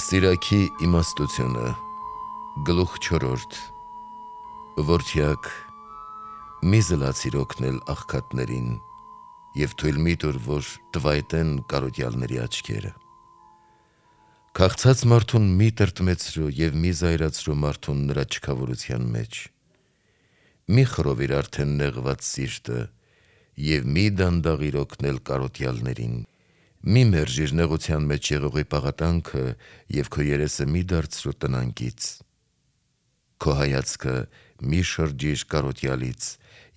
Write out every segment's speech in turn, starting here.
Սիրակի իմաստությունը գլուխ 4 Որդյակ մի զլացիր օգնել աղքատներին և թույլ մի տուր, որ տվայտեն կարոտյալների աչքերը։ Քաղցած մարդուն մի տրտմեցրու և մի զայրացրու մարդուն նրա չքավորության մեջ։ Մի խռովիր արդեն նեղված սիրտը և մի դանդաղիր օգնել կարոտյալներին։ Մի մերժիր նեղության մեջ եղողի պաղատանքը և քո երեսը մի դարձրու տնանկից։ Քո հայացքը մի շրջիր կարոտյալից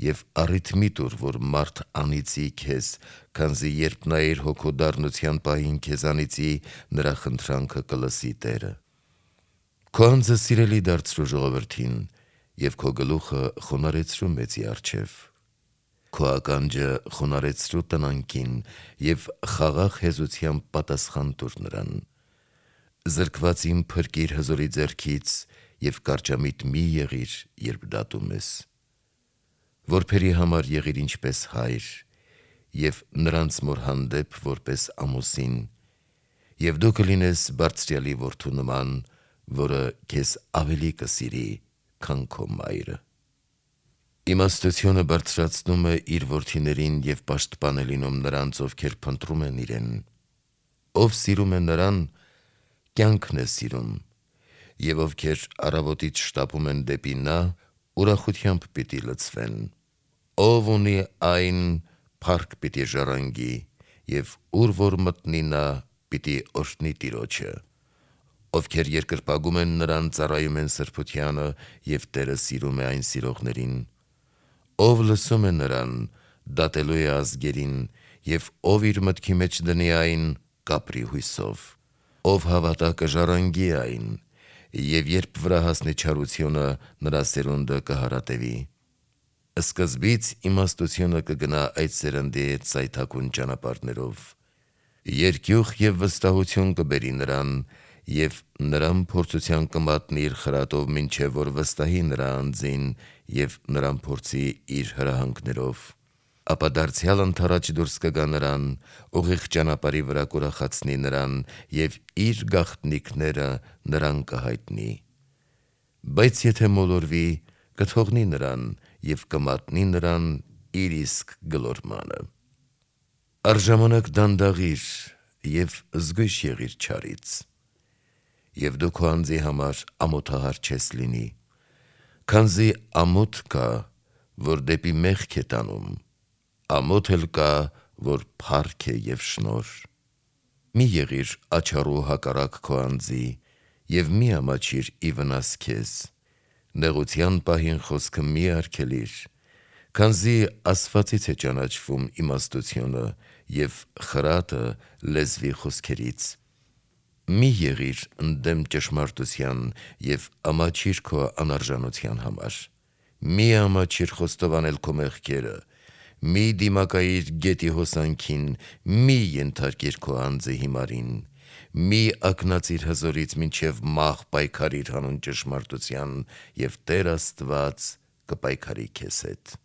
և առիթ մի տուր, որ մարդ անիծի քեզ, քանզի երբ նա իր հոգու դառնության պահին քեզ անիծի, նրա խնդրանքը կլսի Տերը։ Քո անձը սիրելի դարձրու ժողովրդին և քո գլուխը խոնարհեցրու մեծի առջև։ Քո ականջը խոնարհեցրու տնանկին և խաղաղ հեզությամբ պատասխան տուր նրան։ Զրկվածին փրկիր հզորի ձեռքից և կարճամիտ մի եղիր, երբ դատում ես։ Որբերի համար եղիր ինչպես հայր և նրանց մոր հանդեպ որպես ամուսին, և դու կլինես Բարձրյալի որդու նման, որը քեզ ավելի կսիրի, քան քո մայրը։ Իմաստությունը բարձրացնում է իր որդիներին և պաշտպան է լինում նրանց, ովքեր փնտրում են իրեն։ Ով սիրում է նրան, կյանքն է սիրում, և ովքեր առավոտից շտապում են դեպի նա, ուրախությամբ պիտի լցվեն։ Ով ունի այն, փառք պիտի ժառանգի, և ուր որ մտնի նա, պիտի օրհնի Տիրոջը։ Ովքեր երկրպագում են նրան, ծառայում են սրբությանը, և Տերը սիրում է այն սիրողներին։ Ով լսում է նրան, դատելու է ազգերին, և ով իր մտքի մեջ դնի այն, կապրի հույսով։ Ով հավատա կժառանգի այն, և երբ վրա հասնի չարությունը, նրա սերունդը կհարատևի։ Սկզբից իմաստությունը կգնա այդ սերնդի հետ սայթաքուն ճանապարհներով։ Երկյուղ և վստահություն կբերի նրան, և նրան փորձության կմատնի իր խրատով, մինչև որ վստահի նրա անձին և նրան փորձի իր հրահանգներով։ Ապա դարձյալ ընդառաջ դուրս կգա նրան, ուղիղ ճանապարհի վրա կուրախացնի նրան և իր գաղտնիքները նրան կհայտնի։ Բայց եթե մոլորվի, կթողնի նրան և կմատնի նրան իր իսկ գլորմանը։ Առժամանակ դանդաղիր և զգույշ եղիր չարից։ Եվ դու քո անձի համար ամոթահար չես լինի, քանզի ամոթ կա, որ դեպի մեղք է տանում, ամոթ էլ կա, որ փառք է և շնորհ։ Մի եղիր աչառու հակառակ քո անձի և մի ամաչիր ի վնաս քեզ։ Նեղության պահին խոսքը մի արգելիր, քանզի ասվածից է ճանաչվում իմաստությունը և խրատը լեզվի խոսքերից։ Մի եղիր ընդդեմ ճշմարտության և ամաչիր քո անարժանության համար։ Մի ամաչիր խոստովանել քո մեղքերը, մի դիմակայիր գետի հոսանքին, մի ենթարկիր քո անձը հիմարին, մի ակնածիր հզորից, մինչև մահ պայքարիր հանուն ճշմարտության, և Տեր Աստված կպայքարի քեզ հետ։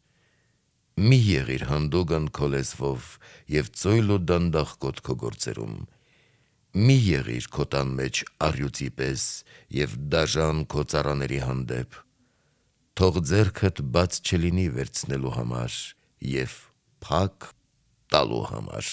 Մի եղիր հանդուգն քո լեզվով և ծոյլ ու դանդաղկոտ քո գործերում։ Մի եղիր քո տան մեջ առյուծի պես և դաժան քո ծառաների հանդեպ։ Թող ձեռքդ բաց չլինի վերցնելու համար և փակ տալու համար։